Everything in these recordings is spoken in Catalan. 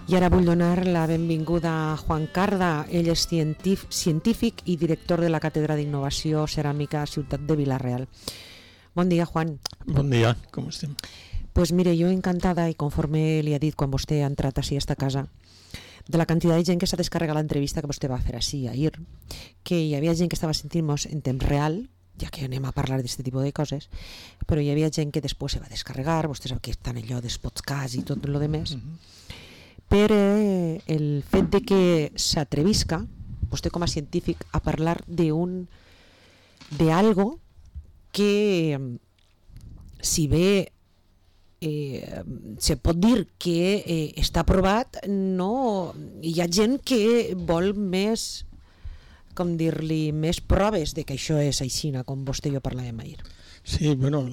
I ara vull donar la benvinguda a Juan Carda. Ell és científic i director de la Càtedra d'Innovació Ceràmica Ciutat de Vila-real. Bon dia, Juan. Bon dia, com estem? Pues mire, jo encantada, i conforme li ha dit quan vostè ha entrat així a esta casa, de la quantitat de gent que s'ha descarregat l'entrevista que vostè va fer així ahir, que hi havia gent que estava sentint-nos en temps real, ja que anem a parlar d'aquest tipus de coses, però hi havia gent que després se va descarregar, vostè sap que estan allò dels podcasts i tot el demés, per el fet de que s'atrevisca, vostè com a científic, a parlar d'algo que, si bé se pot dir que està aprovat, no, hi ha gent que vol més, com dir-li, més proves de que això és aixina, com vostè i jo parlàvem ahir. Sí, bueno,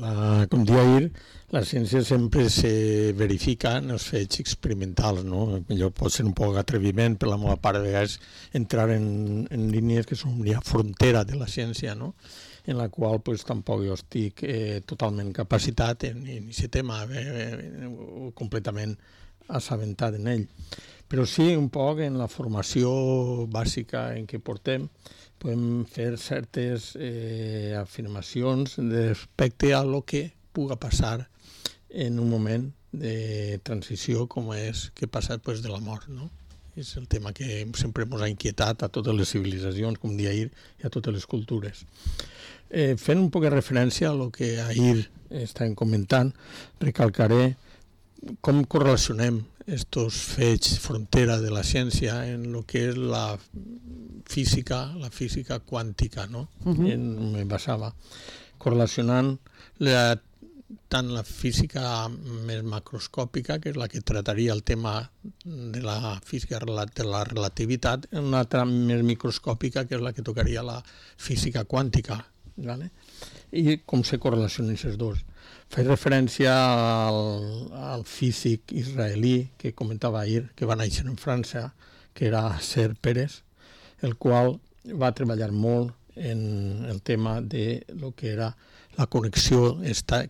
com dia ahir, la ciència sempre se verifica en els fets experimentals, no? Allò pot ser un poc atreviment, per la meva part, a vegades entrar en línies que són una frontera de la ciència, no? En la qual pues, tampoc jo estic totalment capacitat en aquest tema, completament assabentat en ell. Però sí, un poc en la formació bàsica en què portem, podem fer certes afirmacions respecte a lo que puga passar en un moment de transició com és que passa després de la mort, no? És el tema que sempre ens ha inquietat a totes les civilitzacions, com dia ahir, i a totes les cultures. Fent un poc de referència a lo que ahir estàvem comentant, recalcaré com correlacionem estos fets frontera de la ciència en el que és la física quàntica, no? Me basava correlacionant tant la física més macroscòpica, que és la que trataria el tema de la física de la relativitat, en una altra més microscòpica, que és la que tocaria la física quàntica, ¿vale? I com se correlacionen aquests dos. Faig referència al físic israelí que comentava ahir, que va néixer en França, que era Ser Pérez, el qual va treballar molt en el tema de lo que era la connexió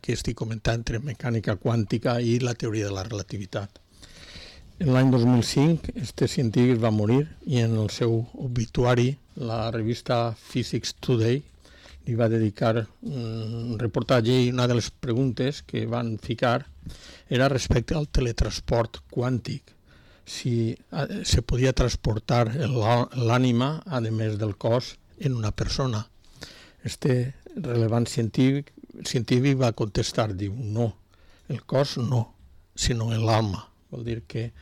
que estic comentant entre mecànica quàntica i la teoria de la relativitat. En l'any 2005, este científic va morir i en el seu obituari, la revista Physics Today li va dedicar un reportatge i una de les preguntes que van ficar era respecte al teletransport quàntic. Si se podia transportar l'ànima, a més del cos, en una persona. Este relevant científic va contestar, diu, no, el cos no, sinó l'alma. Vol dir que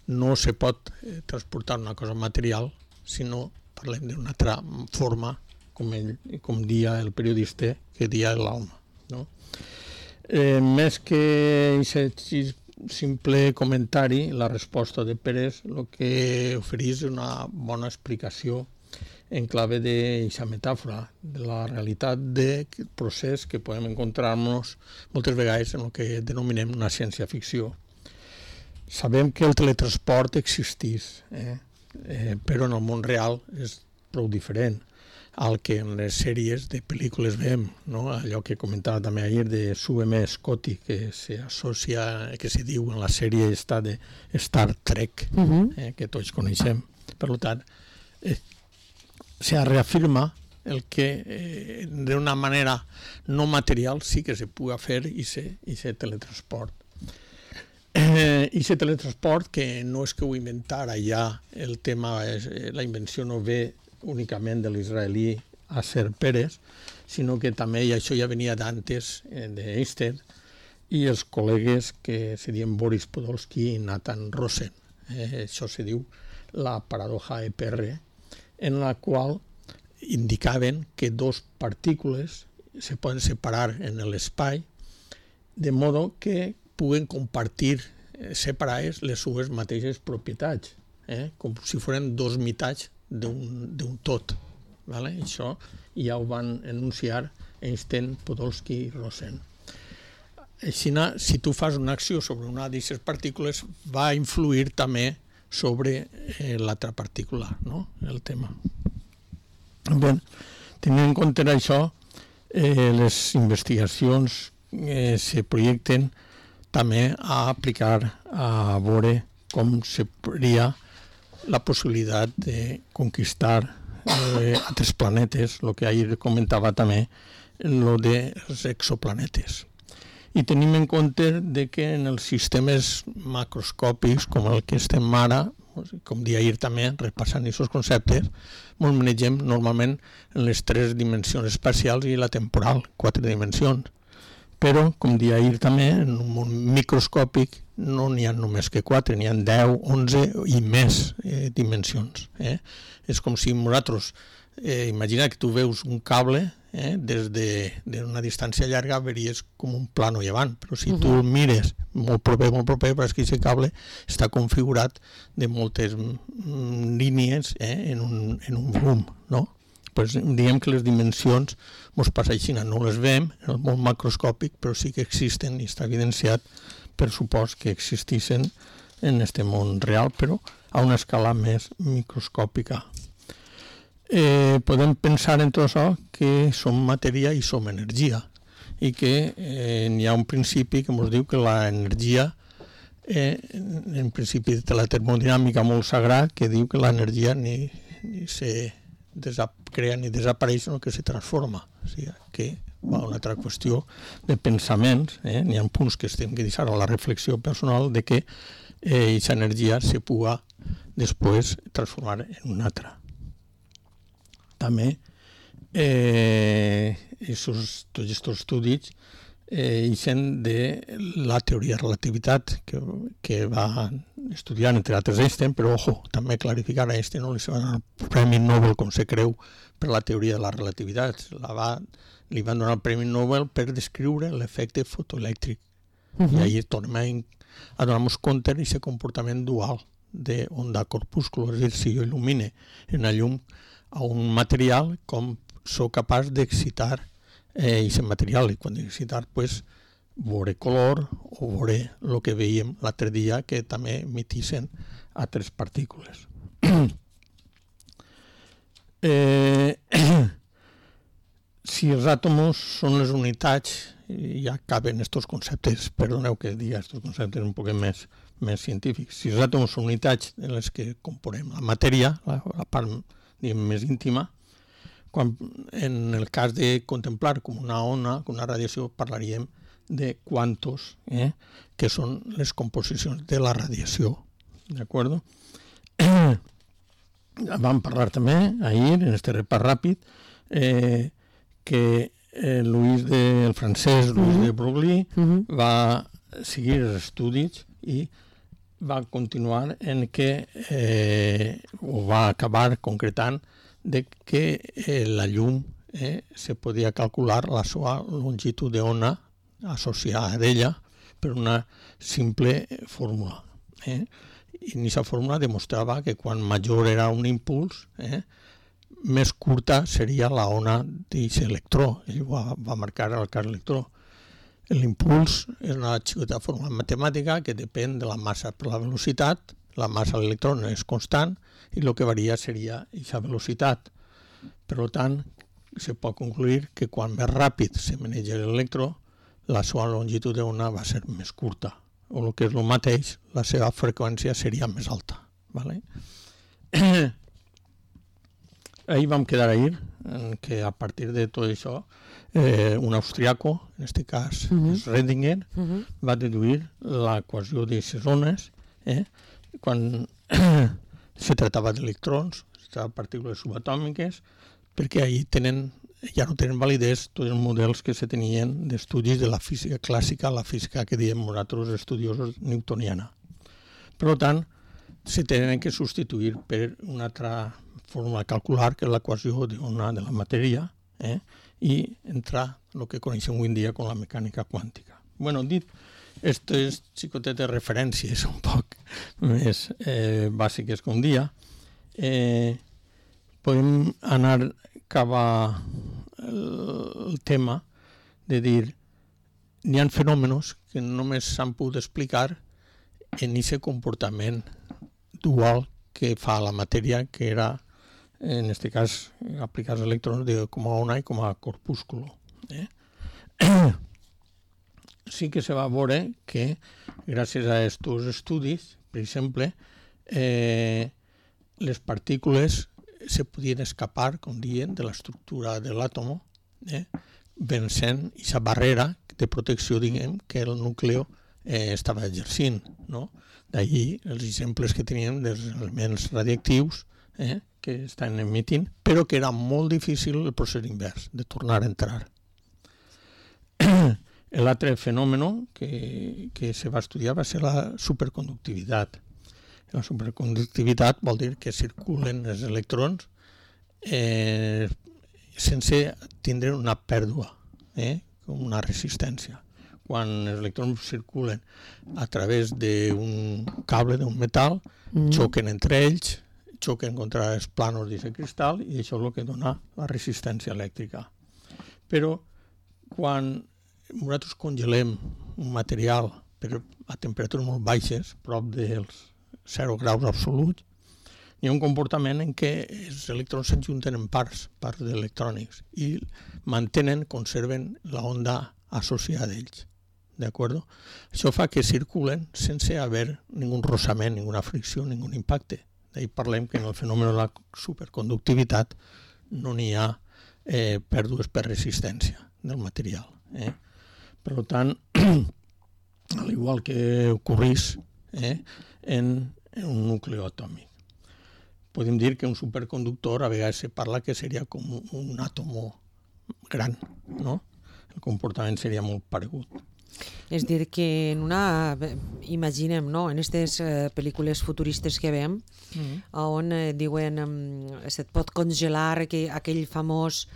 no se pot transportar una cosa material, sinó parlem d'una altra forma, com dia el periodista, que dia l'alma. No? Més que aquest simple comentari, la resposta de Pérez el que ofereix una bona explicació en clave d'aquesta metàfora, de la realitat del procés que podem encontrar-nos moltes vegades en el que denominem una ciència-ficció. Sabem que el teletransport existeix, però en el món real és prou diferent al que en les sèries de pel·lícules veiem, no? Allò que comentava també ahir de Sue M. Scotty, que s'associa, que se diu en la sèrie esta de Star Trek, que tots coneixem. Per tant, se reafirma el que d'una manera no material sí que se pugui fer i se teletransport. I aquest teletransport, que no és que ho inventara ja, el tema, la invenció no ve únicament de l'israelí Ser Pérez, sinó que també, i això ja venia d'antes d'Einstein, i els col·legues que se diuen Boris Podolsky i Nathan Rosen. Això se diu la paradoja EPR, en la qual indicaven que dos partícules se poden separar en l'espai de modo que puguen compartir separades les seves mateixes propietats, com si foren dos meitats d'un tot. Vale? Això ja ho van enunciar Einstein, Podolsky i Rosen. Així, si tu fas una acció sobre una d'aquestes partícules, va influir també sobre l'altra partícula, no? El tema. Bé, tenint en compte això, les investigacions se projecten també a aplicar, a veure com seria la possibilitat de conquistar altres planetes, el que ahir comentava també, el dels exoplanetes. I tenim en compte de que en els sistemes macroscòpics, com el que estem ara, com dia ahir també, repassant aquests conceptes, ens manegem normalment en les 3 dimensions espacials i la temporal, 4 dimensions. Però, com dia ahir també, en un món microscòpic no n'hi ha només que 4, n'hi ha 10, 11 i més dimensions. És com si nosaltres, imagina que tu veus un cable, des d'una distància llarga veuries com un plano llevant, però si tu el mires molt proper, veuràs que aquest cable està configurat de moltes línies en un volum, no? Pues diguem que les dimensions ens passa així, no les veiem en el món macroscòpic, però sí que existen i està evidenciat per supost que existissin en aquest món real, però a una escala més microscòpica. Podem pensar en tot això que som matèria i som energia i que hi ha un principi que ens diu que l'energia, en principi de la termodinàmica molt sagrat, que diu que l'energia ni se crea ni desapareix, sinó que se transforma. O sigui, que va una altra qüestió de pensaments, n'hi ha punts que estem que deixar a la reflexió personal de que aquesta energia se puga després transformar en una altra. També tots aquests estudis ixen de la teoria de relativitat que va estudiar entre altres Einstein, però ojo, també clarificar a Einstein no li va donar el Premi Nobel com se creu per la teoria de la relativitat, li van donar el Premi Nobel per descriure l'efecte fotoelèctric. I ahir tornem a donar-nos compte d'aquest comportament dual d'onda corpúsculo, és a dir, si jo il·lumine en la llum a un material, com sóc capaç d'excitar aquest material, i quan d'excitar, doncs, veure color o veure el que veiem l'altre dia, que també emitissin altres partícules. Si els àtoms són les unitats, ja caben aquests conceptes, perdoneu que digui aquests conceptes un poc més científics, si els àtoms són unitats en les que componem la matèria, la part més íntima, quan en el cas de contemplar com una ona, com una radiació, parlaríem de quantos, que són les composicions de la radiació. D'acord? Vam parlar també ahir, en aquest repàs ràpid, que el francès Louis de Broglie va seguir els estudis i va continuar en que, o va acabar concretant, de que la llum se podia calcular la seva longitud d'ona associada a ella per una simple fórmula. I en aquesta fórmula demostrava que quan major era un impuls, més curta seria la ona d'aquest electró. Ell va marcar el cas electró. L'impuls és una xicota fórmula matemàtica que depèn de la massa per la velocitat. La massa de l'electró és constant i el que varia seria aquesta velocitat. Per tant, se pot concluir que quan més ràpid se maneja l'electró, la seva longitud d'ona va ser més curta. O el que és el mateix, la seva freqüència seria més alta. Ahir vam quedar que a partir de tot això, un austriaco, en aquest cas Schrödinger, va deduir l'equació d'aquestes ones quan se tractava d'electrons, de partícules subatòmiques, perquè ahir ja no tenen validesa tots els models que se tenien d'estudis de la física clàssica, la física que diem nosaltres estudiosos newtoniana. Per tant, se tenen que substituir per una altra forma de calcular, que és l'equació d'ona de la matèria, i entrar el que coneixem avui en dia com la mecànica quàntica. Dit aquestes xicotetes referències un poc més bàsiques com dia, podem anar cap al tema de dir hi ha fenòmenos que només s'han pogut explicar en aquest comportament dual que fa la matèria, que era, en aquest cas, aplicar els electrons com a ona i com a corpúsculo. Sí que se va veure que, gràcies a aquests estudis, per exemple, les partícules se podien escapar, com diuen, de l'estructura de l'àtom, vencent aquesta barrera de protecció, diguem, que el nucli estava exercint, no? D'allí els exemples que teníem dels elements radioactius que estan emitint, però que era molt difícil el procés invers, de tornar a entrar. L'altre fenomen que se va estudiar va ser la superconductivitat. La superconductivitat vol dir que circulen els electrons sense tindre una pèrdua, com una resistència. Quan els electrons circulen a través d'un cable, d'un metal, xoquen entre ells, xoquen contra els plànols d'aquest cristal i això és el que dona la resistència elèctrica. Però quan nosaltres congelem un material a temperatures molt baixes, prop dels 0 graus absoluts, hi ha un comportament en què els electrons s'ajunten en parts d'electrònics i conserven l'onda associada a ells. ¿De acuerdo? Això fa que circulen sense haver ningú rozament, ninguna fricció, ningú impacte. D'ahir parlem que en el fenomen de la superconductivitat no n'hi ha pèrdues per resistència del material. Per tant, al igual que ocorrís en un nucli atòmic. Podem dir que un superconductor a vegades se parla que seria com un àtom gran, no? El comportament seria molt paregut. És dir, que imaginem, no?, en aquestes pel·lícules futuristes que veiem, on diuen se't pot congelar aquell famós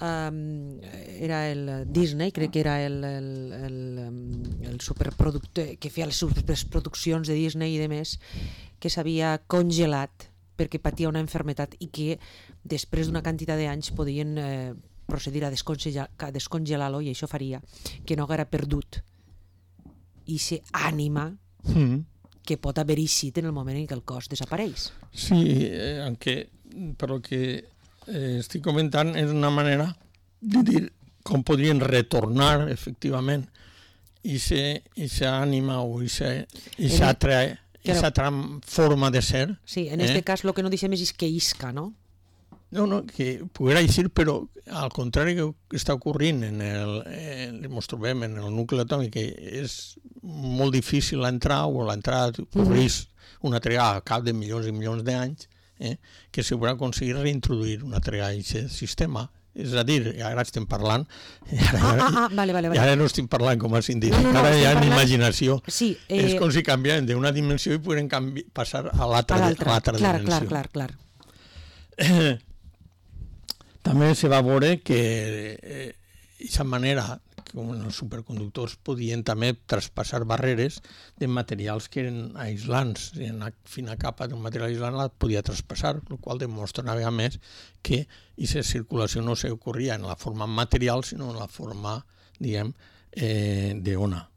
era el Disney, crec que era el superproductor que feia les superproduccions de Disney i de més, que s'havia congelat perquè patia una malaltia i que després d'una quantitat d'anys podien procedir a descongelar-lo i això faria que no haguera perdut i ànima que pot haver eixit en el moment en què el cos desapareix. Sí, però que estic comentant és una manera de dir com podrien retornar efectivament aquesta ànima o aquesta altra forma de ser. Sí, en aquest cas el que no deixem és que isca, no? No, que poguera eixir, però al contrari que està ocorrint ens trobem en el nucli atòmic, que és molt difícil entrar, o l'entrada ocorreix una trigada a cap de milions i milions d'anys, que se podrà aconseguir reintroduir una trigada en aquest sistema. És a dir, ara estem parlant, ara no estem parlant com a científic, ara hi ha imaginació. És com si canviàvem d'una dimensió i podem passar a l'altra dimensió. Clar. També se va veure que aquesta manera, com els superconductors, podien també traspassar barreres de materials que eren aislants. En una fina capa d'un material aislant la podia traspassar, el qual demostra una vegada més que aquesta circulació no s'ocorria en la forma material, sinó en la forma, diguem, d'ona.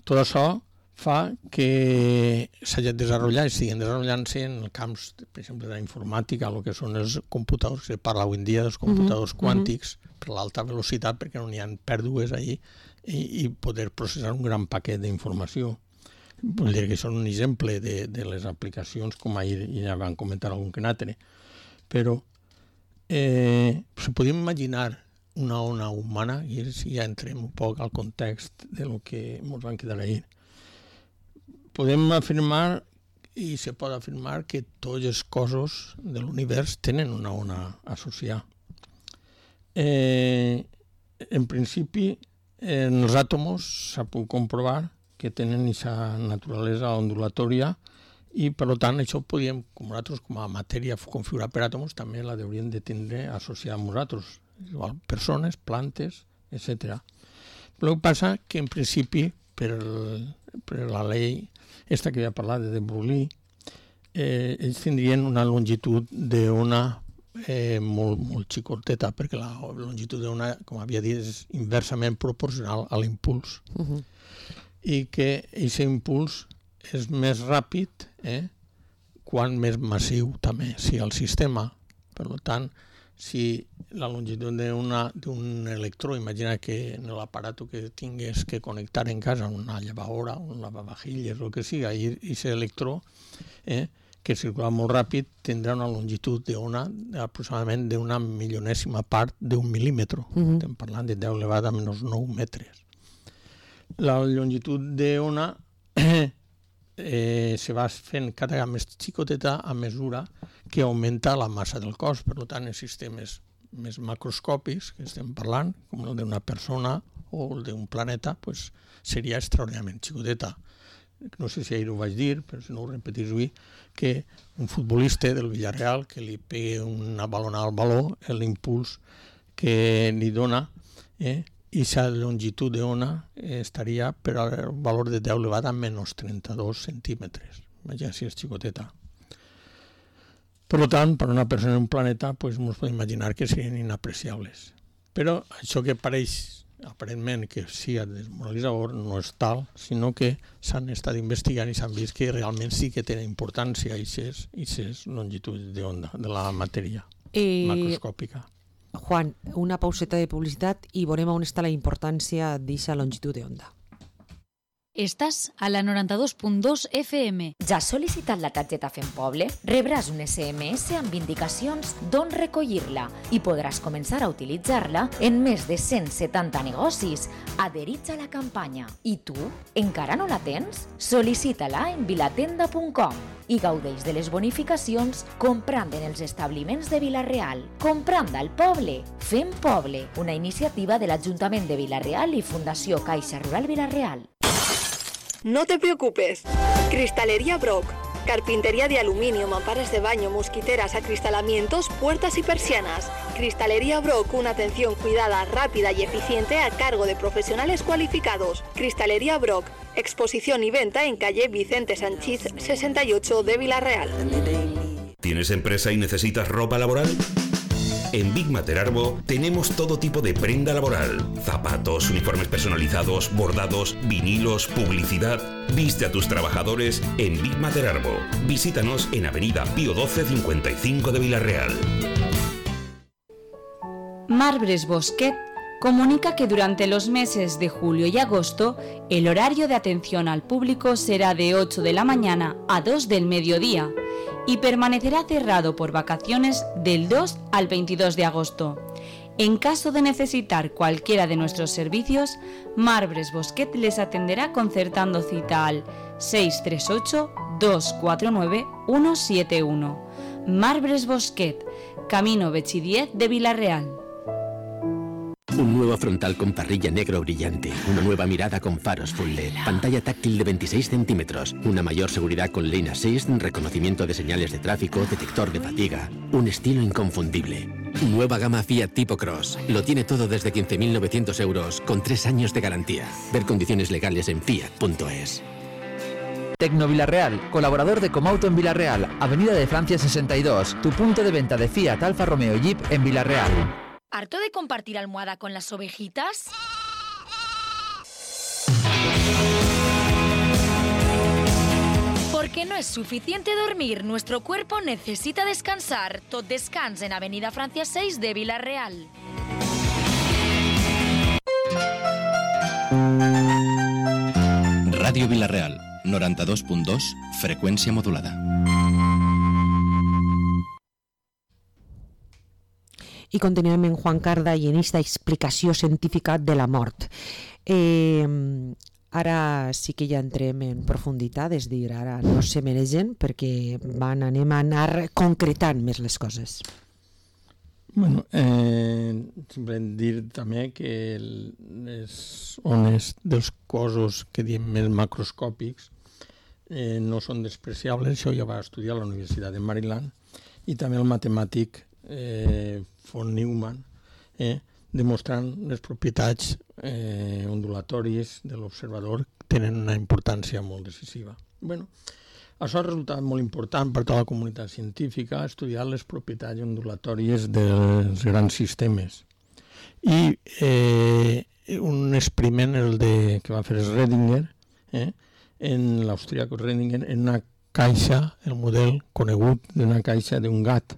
Tot això fa que s'hagi desenvolupat i estiguin desenvolupant-se en camps, per exemple, de la informàtica, el que són els computadors, que se parla avui en dia dels computadors quàntics, per l'alta velocitat, perquè no n'hi ha pèrdues allí, i poder processar un gran paquet d'informació. Vull dir que són un exemple de les aplicacions, com ahir ja van comentar algun que n'altre. Però se podem imaginar una ona humana, i si ja entrem un poc al context del que ens van quedar ahir. Podem afirmar, i se pot afirmar, que tots els cossos de l'univers tenen una ona associada. En principi, en els àtoms s'ha pogut comprovar que tenen aquesta naturalesa ondulatòria i, per tant, això podríem, com nosaltres, com a matèria configurada per àtoms, també la hauríem de tindre associada amb nosaltres, igual persones, plantes, etc. Però el que passa que, en principi, per la llei esta que havia parlat de Broglie, ells tindrien una longitud d'ona molt xicoteta, perquè la longitud d'ona, com havia dit, és inversament proporcional a l'impuls. I que aquest impuls és més ràpid quan més massiu també sigui el sistema. Per tant, si la longitud d'un electró, imagina que en l'aparato que tingues que connectar en casa, una llevadora, un lavavajilles, el que siga, i aquest electró, que circula molt ràpid, tindrà una longitud d'ona aproximadament d'una milionèsima part d'un mil·límetre. Estem parlant de 10 elevat a menys 9 metres. La longitud d'ona se va fent cada vegada més xicoteta a mesura que augmenta la massa del cos. Per tant, els sistemes més macroscòpics que estem parlant, com el d'una persona o el d'un planeta, seria extraordinàriament xicoteta. No sé si ahir ho vaig dir, però si no ho repetís avui, que un futbolista del Villarreal que li pegui una balonada al baló, l'impuls que li dona, i la longitud d'ona estaria per al valor de 10 elevat a menys 32 centímetres. Imagina si és xicoteta. Per tant, per una persona en un planeta, ens podem imaginar que serien inapreciables. Però això que pareix, aparentment, que sigui desmoralitzador, no és tal, sinó que s'han estat investigant i s'han vist que realment sí que tenen importància aquestes longituds d'onda de la matèria macroscòpica. Juan, una pauseta de publicitat i veurem on està la importància d'aquesta longitud d'onda. Estàs a la 92.2 FM. Ja has sol·licitat la targeta Fem Poble? Rebràs un SMS amb indicacions d'on recollir-la i podràs començar a utilitzar-la en més de 170 negocis adherits a la campanya. I tu, encara no la tens? Sol·licita-la en vilatenda.com i gaudeix de les bonificacions comprant en els establiments de Vila-real. Comprant al poble. Fem Poble, una iniciativa de l'Ajuntament de Vila-real i Fundació Caixa Rural Vila-real. No te preocupes. Cristalería Brock. Carpintería de aluminio, mamparas de baño, mosquiteras, acristalamientos, puertas y persianas. Cristalería Brock, una atención cuidada, rápida y eficiente a cargo de profesionales cualificados. Cristalería Brock. Exposición y venta en calle Vicente Sanchís 68 de Vila-real. ¿Tienes empresa y necesitas ropa laboral? En Big Mater Arbo tenemos todo tipo de prenda laboral. Zapatos, uniformes personalizados, bordados, vinilos, publicidad. Viste a tus trabajadores en Big Mater Arbo. Visítanos en Avenida Pío XII 55 de Vila-real. Marbres Bosquet comunica que durante los meses de julio y agosto el horario de atención al público será de 8 de la mañana a 2 del mediodía y permanecerá cerrado por vacaciones del 2 al 22 de agosto. En caso de necesitar cualquiera de nuestros servicios, Marbres Bosquet les atenderá concertando cita al 638-249-171. Marbres Bosquet, Camino Bechi 10 de Vila-real. Un nuevo frontal con parrilla negro brillante, una nueva mirada con faros full LED, pantalla táctil de 26 centímetros, una mayor seguridad con Lane Assist, reconocimiento de señales de tráfico, detector de fatiga, un estilo inconfundible. Nueva gama Fiat Tipo Cross, lo tiene todo desde 15.900 euros, con 3 años de garantía. Ver condiciones legales en fiat.es. Tecno Vila-real, colaborador de Comauto en Vila-real, Avenida de Francia 62, tu punto de venta de Fiat, Alfa Romeo y Jeep en Vila-real. ¿Harto de compartir almohada con las ovejitas? Porque no es suficiente dormir, nuestro cuerpo necesita descansar. Tot descans en Avenida Francia 6 de Vila-real. Ràdio Vila-real, 92.2, freqüència modulada. I continuem en Juan Carda i en aquesta explicació científica de la mort. Ara sí que ja entrem en profunditat, és dir, ara no se mereixen perquè anem a anar concretant més les coses. Bueno, simplement dir també que les ones dels cossos que diem més macroscòpics no són despreciables, això ja va estudiar a la Universitat de Maryland, i també el matemàtic von Neumann, demostrant les propietats ondulatòries de l'observador tenen una importància molt decisiva. Bueno, això ha resultat molt important per tota la comunitat científica estudiar les propietats ondulatòries dels grans sistemes. I un experiment, que va fer Schrödinger, en l'austríac Schrödinger, en una caixa, el model conegut d'una caixa d'un gat,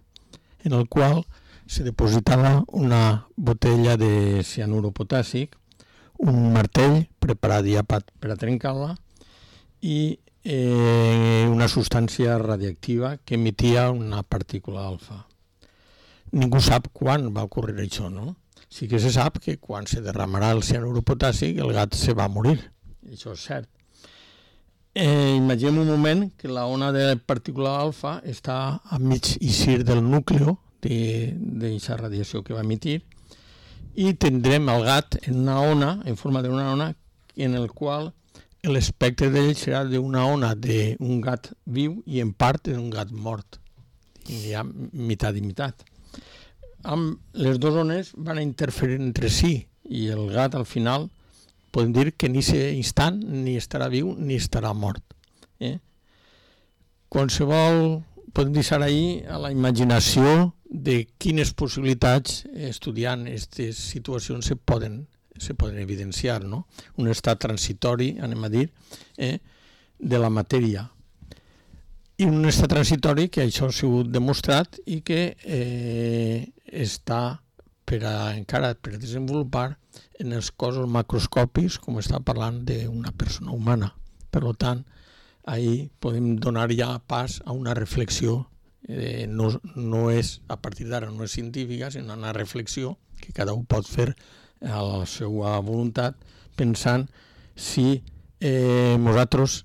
en el qual se depositava una botella de cianuro potàssic, un martell preparat ja per a trencar-la i una substància radiactiva que emitia una partícula alfa. Ningú sap quan va ocórrer això, no? Sí que se sap que quan se derramarà el cianuro potàssic el gat se va morir, això és cert. Imaginem un moment que la ona de partícula alfa està a mig eixir del núcleo d'aquesta radiació que va emitir i tindrem el gat en una ona, en forma d'una ona, en el qual l'espectre d'ell serà d'una ona d'un gat viu i en part d'un gat mort. Hi ha meitat i meitat. Les dues ones van interferir entre si i el gat al final podem dir que en aquest instant ni estarà viu ni estarà mort. Qualsevol podem deixar ahir a la imaginació de quines possibilitats estudiant aquestes situacions se poden evidenciar, no? Un estat transitori, anem a dir, de la matèria. I un estat transitori que això ha sigut demostrat i que està encara per desenvolupar en els cossos macroscòpics, com està parlant d'una persona humana. Per tant, ahir podem donar ja pas a una reflexió, no és, a partir d'ara no és científica, sinó una reflexió que cada un pot fer a la seva voluntat, pensant si nosaltres,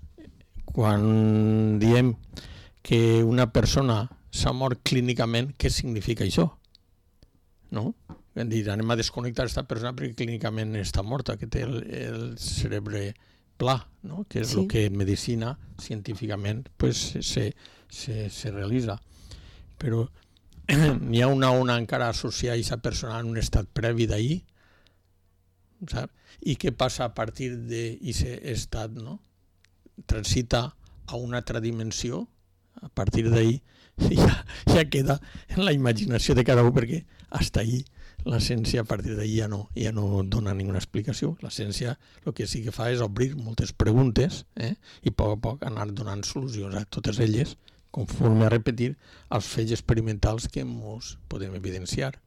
quan diem que una persona s'ha mort clínicament, què significa això? No? Anem a desconnectar aquesta persona perquè clínicament està morta, que té el cerebre pla, no? Que és el que en medicina científicament se realitza. Però n'hi ha una ona encara associada a aquesta persona en un estat previ d'ahir, i què passa a partir d'aquest estat, no? Transita a una altra dimensió, a partir d'ahir ja queda en la imaginació de cada un, perquè fins ahir la ciència a partir d'ahir ja no dona ninguna explicació. La ciència el que sí que fa és obrir moltes preguntes i a poc anar donant solucions a totes elles, conforme a repetir els fets experimentals que ens podem evidenciar.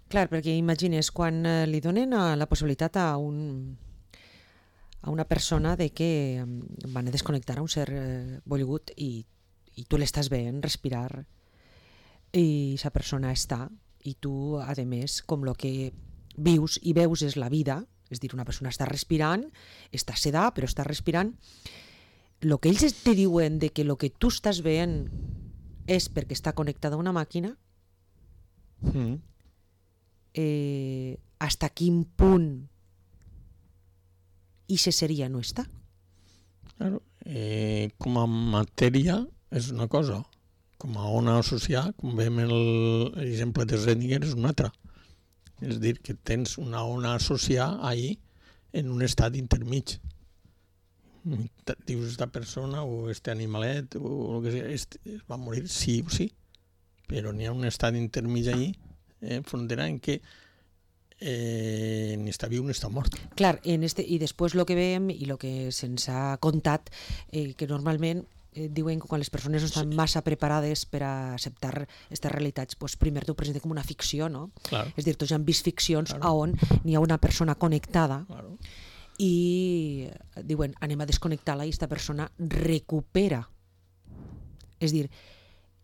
Clar, perquè imagines, quan li donen la possibilitat a una persona de que van a desconnectar a un ser volgut i tu l'estàs veient respirar i aquesta persona està i tu, a més, com el que vius i veus és la vida, és dir, una persona està respirant, està sedada però està respirant, el que ells te diuen de que el que tu estàs veient és perquè està connectada a una màquina, hasta quin punt i se seria no està? Claro, com a matèria és una cosa, com a ona associada, com veiem l'exemple de Schrödinger, és una altra. És dir, que tens una ona associada ahí en un estat intermig. Dius, esta persona o este animalet o el que sigui, va morir sí o sí, però n'hi ha un estat intermig ahí, frontera en què ni està viu ni està mort. Clar, i després el que veiem i el que se'ns ha contat, que normalment diuen que quan les persones no estan massa preparades per a acceptar aquestes realitats, primer t'ho presenten com una ficció, no? És dir, tots han vist ficcions on n'hi ha una persona connectada i diuen, anem a desconnectar-la i aquesta persona recupera. És dir,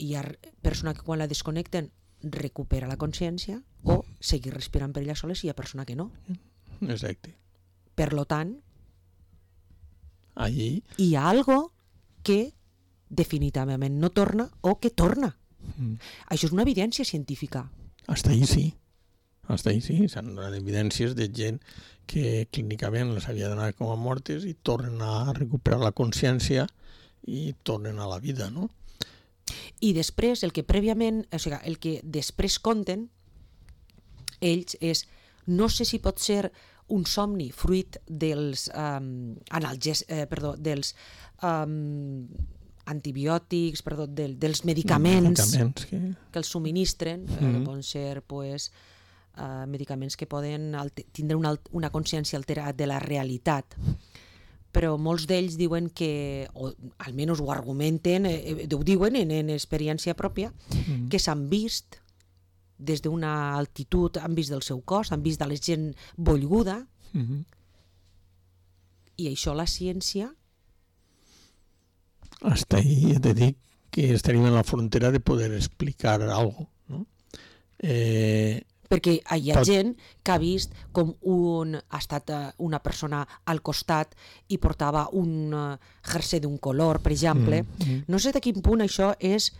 hi ha persona que quan la desconnecten recupera la consciència o seguir respirant per ella soles i hi ha persona que no. Exacte. Per lo tant, allí hi ha algo que definitivament no torna o que torna. Això és una evidència científica. Hasta ahí sí. S'han donat evidències de gent que clínicament les havia donat com a mortes i tornen a recuperar la consciència i tornen a la vida, no? I després, el que prèviament, o sigui, el que després conten ells és, no sé si pot ser un somni fruit dels dels antibiòtics, dels medicaments que els subministren, poden ser medicaments que poden tindre una consciència alterada de la realitat. Però molts d'ells diuen que, o almenys ho argumenten, ho diuen en experiència pròpia, que s'han vist des d'una altitud, han vist del seu cos, han vist de la gent bollguda, i això la ciència... Hasta ahí ja te dic que estaríem en la frontera de poder explicar algo, no? Perquè hi ha gent que ha vist com ha estat una persona al costat i portava un jersei d'un color, per exemple. No sé de quin punt això és...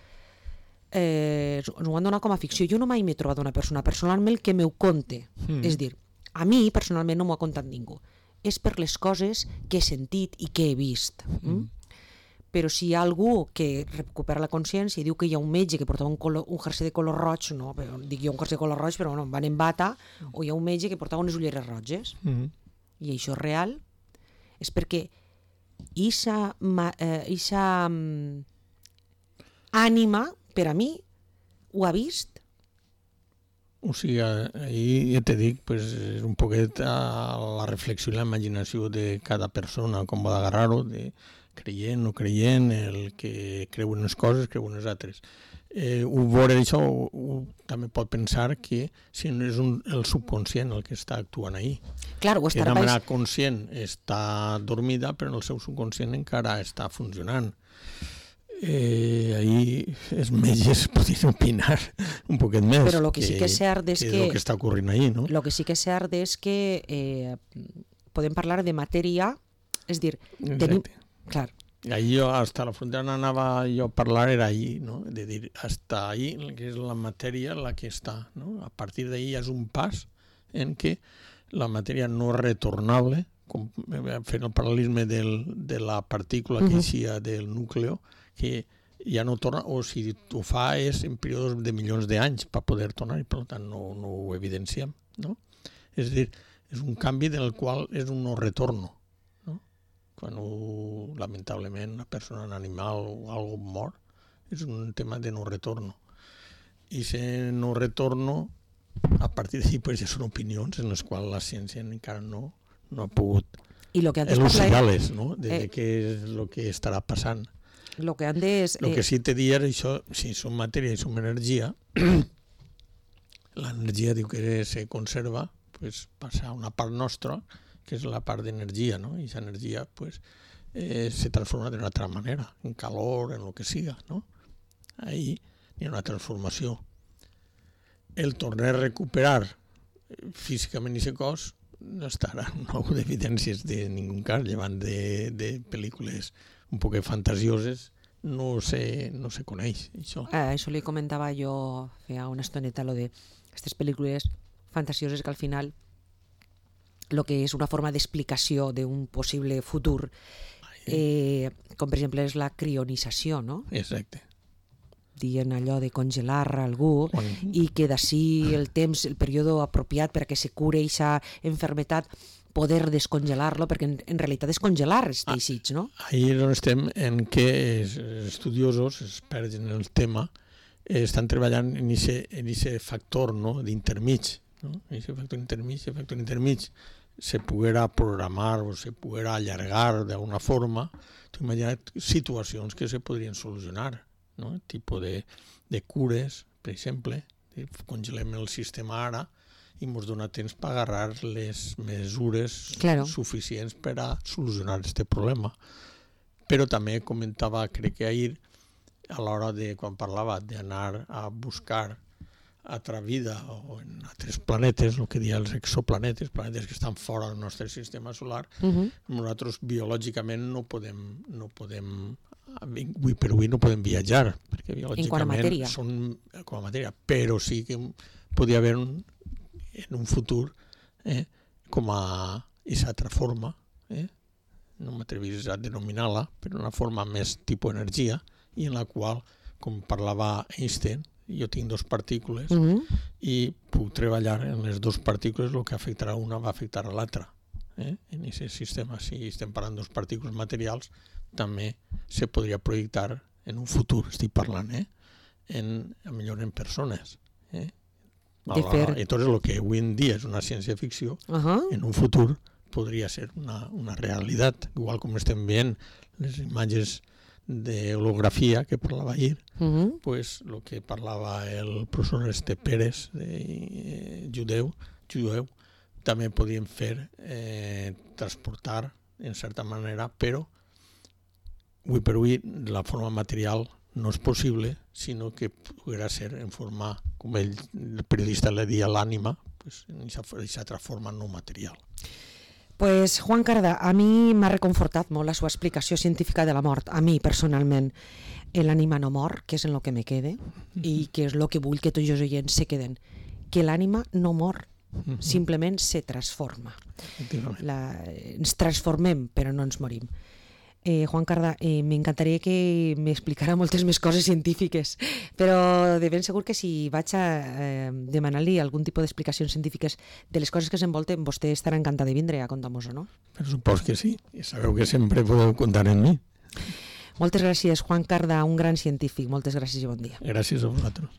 ho han donat com a ficció. Jo no mai m'he trobat una persona personalment que m'ho conte. És dir, a mi personalment no m'ho ha contat ningú. És per les coses que he sentit i que he vist. Però si hi ha algú que recupera la consciència i diu que hi ha un metge que portava un jersei de color roig, no, dic jo un jersei de color roig, però no, van en bata, o hi ha un metge que portava unes ulleres roges, i això és real, és perquè eixa ànima, per a mi, ho ha vist. O sigui, ahir ja te dic, pues, és un poquet la reflexió i la imaginació de cada persona, com va d'agarrar-ho, de creient, no creient, el que creu en unes coses, creu en les altres. Veure això també pot pensar que si no és el subconscient el que està actuant ahí. Claro, que de manera conscient està dormida, però el seu subconscient encara està funcionant. Ahí els metges podrien opinar un poquet més. Però el que sí que és cert és que... el que està ocorrent ahí, no? El que sí que és cert és que podem parlar de matèria, és dir, tenim... Clar. Ahí hasta la frontera anava jo a parlar, era ahí, no? De dir, hasta ahí, que és la matèria la que està, no? A partir d'ahí és un pas en què la matèria no és retornable, com fent el paral·lelisme de la partícula que eixia del núcleo, que ja no torna, o si ho fa és en períodes de milions d'anys per poder tornar, i per tant no ho evidenciem, no? És a dir, és un canvi del qual és un no retorno. Quan lamentablement una persona, un animal o algo mor, és un tema de no retorno. I si no retorno, a partir d'ahí pues, ja són opinions en les quals la ciència encara no ha pogut elucidar-les, no? De què és el que estarà passant. El que antes... El que sí te diria és això, si som matèria i som energia, l'energia diu que se conserva, pues, passa a una part nostra, que és la part d'energia, no? I aquesta energia pues, se transforma d'una altra manera, en calor, en el que siga, no? Ahí hi ha una transformació. El tornar a recuperar físicament aquest cos no estarà nou d'evidències de ningú cas, llevant de pel·lícules un poc fantasioses, no se coneix, això. Això li comentava jo feia una estoneta, lo de aquestes pel·lícules fantasioses que al final el que és una forma d'explicació d'un possible futur, com per exemple és la crionització, no? Exacte. Dient allò de congelar algú i que d'ací el temps, el període apropiat perquè se cure aquesta enfermetat, poder descongelar-lo, perquè en realitat és congelar els teixits, no? Ahir on estem en què estudiosos, experts en el tema, estan treballant en aquest factor d'intermig, no? Aquest factor intermig se poguera programar o se poguera allargar d'alguna forma. T'ho imagina't situacions que se podrien solucionar, no? Tipus de cures, per exemple, congelem el sistema ara i ens dona temps per agarrar les mesures suficients per a solucionar aquest problema. Però també comentava, crec que ahir, a l'hora de, quan parlava d'anar a buscar altra vida o en altres planetes, el que diuen els exoplanetes, planetes que estan fora del nostre sistema solar, nosaltres biològicament no podem, avui per avui no podem viatjar, perquè biològicament són com a matèria, però sí que podria haver en un futur com a aquesta altra forma, no m'atreviria a denominar-la, però una forma més tipus energia, i en la qual, com parlava Einstein, jo tinc dues partícules i puc treballar en les dues partícules, el que afectarà una va afectar a l'altra. En aquest sistema, si estem parlant de dues partícules materials, també se podria projectar en un futur, estic parlant, millor en persones. Entonces, el que avui en dia és una ciència-ficció, en un futur podria ser una realitat, igual com estem veient les imatges d'holografia que parlava ahir, pues el que parlava el professor Pérez, jueu, també podien fer, transportar en certa manera, però avui per avui la forma material no és possible, sinó que podrà ser en forma, com el periodista le deia, l'ànima, pues, en aquesta altra forma no material. Pues Juan Carda, a mi m'ha reconfortat molt la seva explicació científica de la mort, a mi personalment. L'ànima no mor, que és en el que me quede, i que és el que vull que tots els oients se queden, que l'ànima no mor, simplement se transforma. Ens transformem, però no ens morim. Juan Carda, m'encantaria que m'explicara moltes més coses científiques, però de ben segur que si vaig a demanar-li algun tipus d'explicacions científiques de les coses que s'envolten, vostè estarà encantat de vindre a contar-nos-ho, no? Per supòs que sí, i sabeu que sempre podeu comptar en mi. Moltes gràcies, Juan Carda, un gran científic. Moltes gràcies i bon dia. Gràcies a vosaltres.